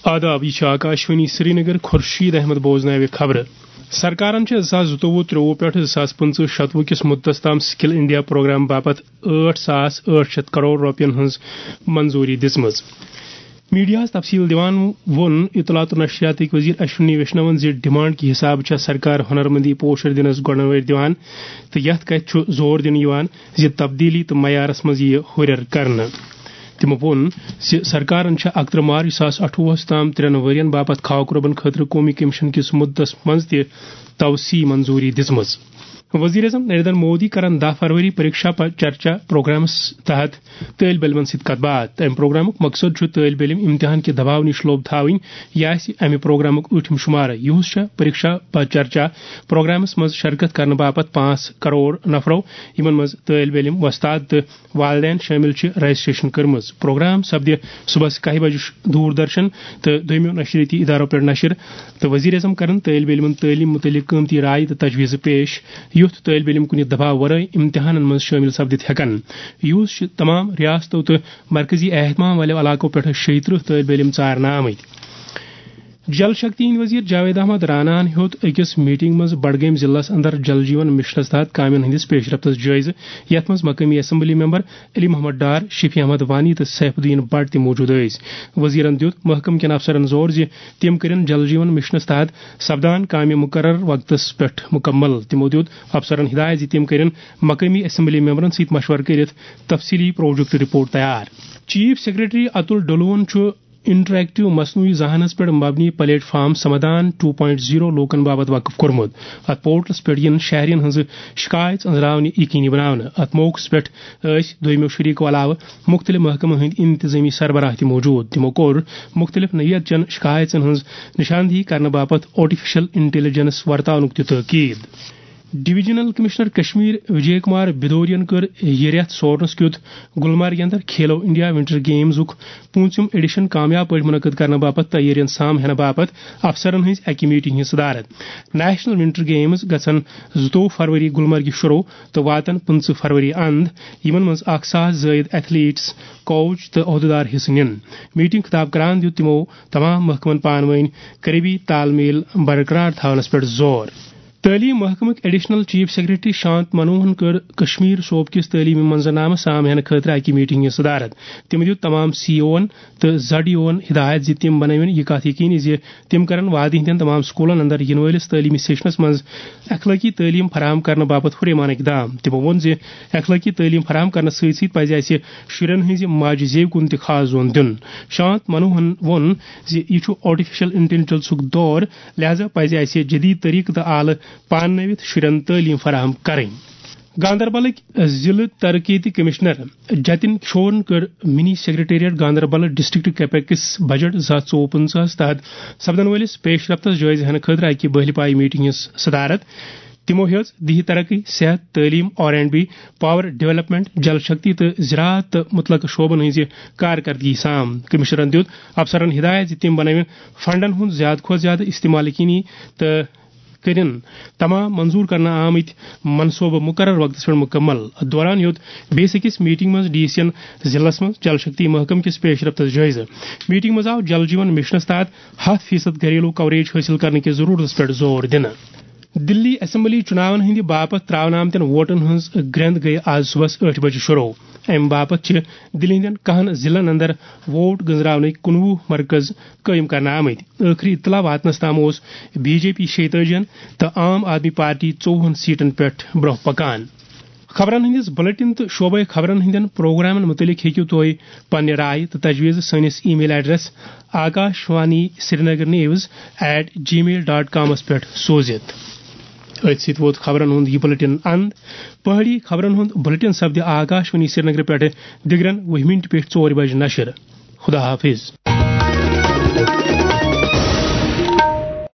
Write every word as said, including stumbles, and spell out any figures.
آداب، یہِ چھِ آکاشوانی سرینگر۔ خورشید احمد بوزناوِ خبرٕ۔ سرکارن چھِ زٕ ساس زٕتووُہ ترٛووُہ پٮ۪ٹھ زٕ ساس پٕنٛژٕہ شتوُہ کِس مُدتس تام سکل انڈیا پروگرام باپتھ ٲٹھ ساس ٲٹھ شیٚتھ کرور رۄپین ہٕنٛز منظوٗری دِژمٕژ۔ میڈیاہَس تفصیٖل دِوان ووٚن اطلاعات و نشریاتٕکۍ وزیر اشونی ویشنون زِ ڈیمانڈ کہِ حسابہٕ چھےٚ سرکار ہنرمندی پوشر دِنس گۄڈٕ وٲرۍ دِوان تہٕ یتھ کتھِ چھُ زور دِنہٕ یِوان زِ تبدیلی تہٕ معیارس منٛز یِیہِ ہُرٮ۪ر کرنہٕ۔ تِمو ووٚن زِ سرکارن چھےٚ اکترٕہ مارچ زٕ ساس اَٹھووُہس تام ترٛٮ۪ن ؤرین باپتھ خاکہٕ رۄبن خٲطرٕ قومی کمیشن کِس مُدتس منٛز تہِ توسیع منظوٗری دِژمٕژ۔ وزیر اعظم نریندر مودی کرن دَہ فروری پریکشا پر چرچا پروگرامس تحت طٲلب علمن سۭتۍ کتھ باتھ۔ امہِ پروگرامُک مقصد چھُ طٲلب علم امتحان کہِ دباو نِش لوٚب تھاوٕنۍ۔ یہِ آسہِ امہِ پروگرامُک ٲٹھِم شمارٕ۔ یِہُس چھےٚ پریکشا پر چرچا پروگرامس منٛز شرکت کرنہٕ باپتھ پانٛژھ کرور نفرو، یِمن منٛز طٲلب علم، وۄستاد تہٕ والدین شٲمِل چھِ، رجسٹریشن کٔرمٕژ۔ پروگرام سپدِ صبحس کاہہِ بجہِ دوٗر درشن تہٕ دوٚیمٮ۪و نشریٲتی ادارو پٮ۪ٹھ نشر، تہٕ وزیر اعظم کرن طٲلب علمن تعلیٖم مُتعلق قۭمتی رایہِ تہٕ تجویٖزٕ پیش، یُتھ طٲلب علم کُنہِ دباو ورٲے امتحانن منٛز شٲمِل سپدِتھ ہٮ۪کن۔ یُہُس چھِ تمام ریاستو تہٕ مرکزی اہتمام والٮ۪و علاقو پٮ۪ٹھٕ شیٚیہِ ترٕٛہ طٲلب علم ژارنہٕ آمٕتۍ۔ جل شکتی ہٕنٛدۍ وزیر جاوید احمد راناہن ہیوٚت أکِس میٹنگ منٛز بڈگٲمۍ ضلعس اندر جل جیون مشنس تحت کامٮ۪ن ہٕنٛدِس پیش رفتس جٲیزٕ، یتھ منٛز مقٲمی اسمبلی ممبر علی محمد ڈار، شفیع احمد وانی تہٕ سیف الدین بٹ تہِ موجود ٲسۍ۔ وزیرن دیُت محکمہٕ کٮ۪ن افسرن زور زِ تِم کٔرِن جل جیون مشنس تحت سپدان کامہِ مقرر وقتس پٮ۪ٹھ مکمل۔ تِمو دیُت افسرن ہدایت زِ تِم کٔرِن مقٲمی اسمبلی ممبرن سۭتۍ مشورٕ کٔرِتھ تفصیلی پروجیکٹ رپورٹ تیار۔ چیف سیکرٹری اتُل ڈولون چھُ انٹریکٹیو مصنوعی ذہانس پٮ۪ٹھ مبنی platform Samadhan two point zero لوکن باپتھ وقف کوٚرمُت۔ اتھ پورٹلس پٮ۪ٹھ یِن شہرین ہٕنٛز شکایژ أنٛزراونہِ یقینی بناونہٕ۔ اتھ موقعس پٮ۪ٹھ ٲسۍ دوٚیمٮ۪و شریکو علاوٕ مُختٔلِف محکمن ہٕنٛدۍ انتظٲمی سربراہ تہِ موجود۔ تِمو کوٚر مُختٔلِف نوعیت چٮ۪ن شکایژن ہٕنٛز نشاندہی کرنہٕ باپتھ آرٹیفیشل انٹیلیجنس ورتاونُک تہِ تاکید۔ ڈویژنل کمشنر کشمیر وجے کمار بدورین کٔر یہِ رٮ۪تھ سورنس کیُتھ گلمرگ اندر کھیلو انڈیا ونٹر گیمزُک پوٗنٛژِم ایڈیشن کامیاب پٲٹھۍ منعقد کرنہٕ باپتھ تیٲرین سام ہینہٕ باپتھ افسرن ہٕنٛز اکہِ میٹنگ ہٕنٛز صدارت۔ نیشنل ونٹر گیمز گژھن زٕتووُہ فروری گلمرگہِ شروع تہٕ واتن پٕنٛژٕہ فروری اند، یِمن منٛز اکھ ساس زٲیِد ایتھلیٹس، کوچ تہٕ عہدٕدار حصہٕ نِن۔ میٹنگ خطاب کران دیُت تِمو تمام محکمن پانہٕ وٲنۍ قریبی تال میل برقرار تھاونس پٮ۪ٹھ زور۔ تعلیٖم محکمٕکۍ ایڈیشنل چیف سیکرٹری شانت منوہن کٔر کشمیر صوبہٕ کِس تعلیٖمی منظرنامہٕ سام ہینہٕ خٲطرٕ اکہِ میٹنگ ہٕنٛز صدارت۔ تِم دیُت تمام سی اوون تہٕ زڈ ایوون ہدایت زِ تِم بنٲوِن یہِ کتھ یقینی زِ تِم کرن وادی ہٕنٛدٮ۪ن تمام سکولن اندر یِنہٕ وٲلِس تعلیٖمی سیشنس منٛز اخلٲقی تعلیٖم فراہم کرنہٕ باپتھ ہُریمان اقدام۔ تِمو ووٚن زِ اخلٲقی تعلیٖم فراہم کرنس سۭتۍ سۭتۍ پزِ اسہِ شُرٮ۪ن ہٕنٛزِ ماجہِ زیوِ کُن تہِ خاص زون دیُن۔ شانت منوہن ووٚن زِ یہِ چھُ آرٹیفیشل انٹیلیجنسُک دور، لہذا پزِ اسہِ جدید طریقہٕ تہٕ آلہٕ پاننٲوِتھ شُرٮ۪ن تعلیٖم فراہم کرٕنۍ۔ گاندربلٕکۍ ضلعہٕ ترقیتی کمشنر جتن کشورن کٔر منی secretariat Ganderbal district capex budget زٕ ساس ژوٚوُہ پٕنٛژٕہس تحت سپدن وٲلِس پیش رفتس جٲیزٕ ہینہٕ خٲطرٕ اکہِ بہلہِ پایہِ میٹنگ ہٕنٛز صدارت۔ تِمو ہیٚژ دیہی ترقی، صحت، تعلیٖم، R and B, power development, Jal Shakti تہٕ زراعت تہٕ متعلقہٕ شعبن ہٕنٛزِ کارکردگی سام۔ کمشنرن دیُت افسرن ہدایت زِ تِم بنٲوِن فنڈن ہُنٛد زیادٕ کھۄتہٕ زیادٕ استعمال یقینی تہٕ کٔرِن تمام منظور کرنہٕ آمٕتۍ منصوبہٕ مقرر وقتس پٮ۪ٹھ مکمل۔ اتھ دوران ہیوٚت بیٚیِس أکِس میٹنگ منٛز ڈی سین ضلعس منٛز جل شکتی محکمہٕ کِس پیش رفتس جٲیزٕ۔ میٹنگ منٛز آو جل جیون مشنس تحت ہتھ فیصد گھریلو کوریج حٲصِل کرنہٕ کِس ضروٗرتس پٮ۪ٹھ زور دِنہٕ۔ دِلی اسمبلی چُناون ہٕنٛدِ باپتھ ترٛاونہٕ آمتٮ۪ن ووٹن ہٕنٛز گرٛٮ۪نٛد گٔیہِ آز صُبحس ٲٹھِ بجہِ شروع۔ اَمہِ باپتھ چھِ دِلہِ ہٕنٛدٮ۪ن کَہَن ضلعن اندر ووٹ گٔنزراونٕکۍ کُنوُہ مرکز قٲیِم کرنہٕ آمٕتۍ۔ ٲخری اطلاع واتنس تام اوس بی جے پی شیٚتٲجِہن تہٕ عام آدمی پارٹی ژوٚوُہن سیٹن پٮ۪ٹھ برٛونٛہہ پکان۔ خبرن ہٕنٛدِس بلیٹن تہٕ شعبے خبرن ہٕنٛدٮ۪ن پروگرامن مُتعلق ہیٚکِو تُہۍ پننہِ رائے تہٕ تجویز سٲنِس email address Akashvani Srinagar news at Gmail dot کامس پٮ۪ٹھ سوٗزِتھ۔ أتھۍ سۭتۍ ووت خبرن ہُنٛد یہِ بلیٹن اند۔ پہٲڑی خبرن ہُنٛد بلیٹن سپدِ آکاشوانی سرینگر پٮ۪ٹھ دِگرن وُہہِ مِنٹہِ پٮ۪ٹھ ژورِ بجہِ نشر۔ خدا حافظ۔